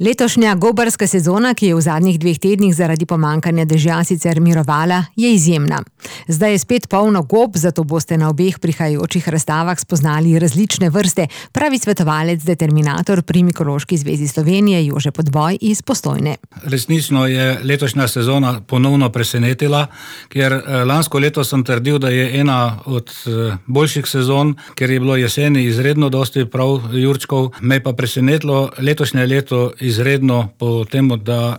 Letošnja gobarska sezona, ki je v zadnjih 2 tednih zaradi pomanjkanja dežja sicer mirovala, je izjemna. Zdaj je spet polno gob, zato boste na obeh prihajajočih razstavah spoznali različne vrste, pravi svetovalec determinator pri Mikološki zvezi Slovenije Jože Podboj iz Postojne. Resnično je letošnja sezona ponovno presenetila, ker lansko leto sem trdil, da je ena od boljših sezon, ker je bilo jeseni izredno dosti prav jurčkov. Me pa presenetilo letošnje leto izredno po temu, da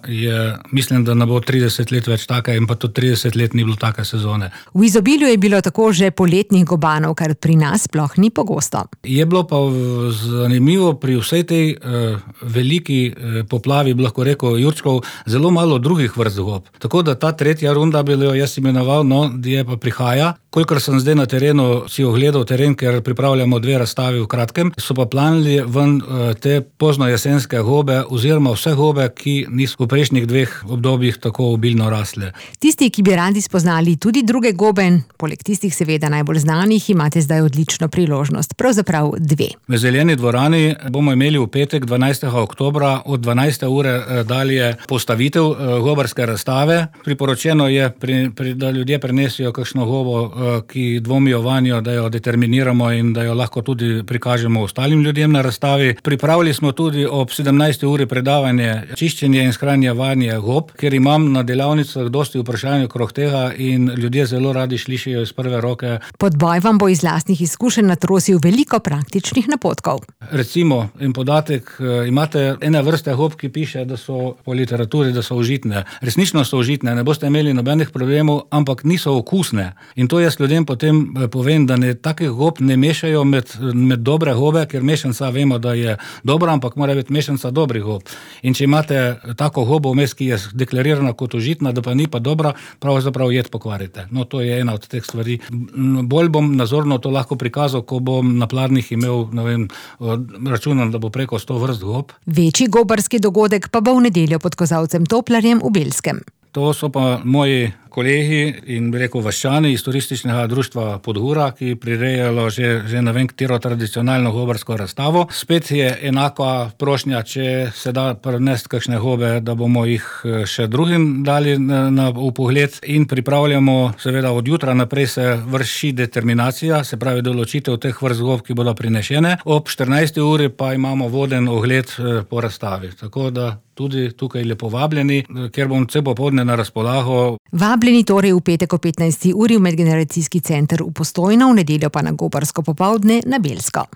mislim, da ne bo 30 let več taka in pa tudi 30 let ni bilo take sezone. V izobilju je bilo tako že poletnih gobanov, kar pri nas sploh ni pogosto. Je bilo pa zanimivo pri vsej tej veliki poplavi, bi lahko rekel, jurčkov, zelo malo drugih vrst gob. Tako da ta tretja runda bi jo jaz imenoval, je pa prihaja. Kolikor sem zdaj na terenu si ogledal teren, ker pripravljamo 2 razstavi v kratkem, so pa planili ven te poznojesenske gobe oziroma vse gobe, ki niso v prejšnjih 2 obdobjih tako obilno rasle. Tisti, ki bi radi spoznali tudi druge gobe, poleg tistih seveda najbolj znanih, imate zdaj odlično priložnost, pravzaprav 2. V Zeleni dvorani bomo imeli v petek 12. oktobra od 12. ure dalje postavitev gobarske razstave. Priporočeno je, da ljudje prinesijo kakšno gobo, ki dvomijo vanjo, da jo determiniramo in da jo lahko tudi prikažemo ostalim ljudem na razstavi. Pripravili smo tudi ob 17. uri predavanje čiščenje in shranjevanje gob, ker imam na delavnicah dosti vprašanj okrog tega in ljudje zelo radi slišijo iz prve roke. Podboj vam bo iz lastnih izkušenj natrosil veliko praktičnih napotkov. Recimo, in podatek, imate ene vrste gob, ki piše, da so po literaturi, da so užitne. Resnično so užitne, ne boste imeli nobenih problemov, ampak niso okusne. In to jaz ljudem potem povem, da takih gob ne mešajo med dobre gobe, ker mešanca vemo, da je dobra, ampak mora biti mešanca dobrih gob. In če imate tako gobo vmes, ki je deklarirana kot užitna, da pa ni pa dobra, pravzaprav jed pokvarite. No, to je ena od teh stvari. Bolj bom nazorno to lahko prikazal, ko bom na pladnjih imel, računam, da bo preko 100 vrst gob. Večji gobarski dogodek pa bo v nedeljo pod Kozavcem Toplarjem v Belskem. To so pa moji kolegi in vaščani iz turističnega društva Podgora, ki prirejajo že ne vem katero tradicionalno gobarsko razstavo. Spet je enaka prošnja, če se da prinesti kakšne gobe, da bomo jih še drugim dali v pogled in pripravljamo, seveda od jutra naprej se vrši determinacija, se pravi določitev teh vrst gob, ki bodo prinešene. Ob 14. uri pa imamo voden ogled po razstavi. Tako da tudi tukaj lepo vabljeni, ker bom cel popoldne na razpolago. Vabljeni torej v petek o 15. uri v Medgeneracijski center v Postojno, v nedeljo pa na gobarsko popoldne na Belsko.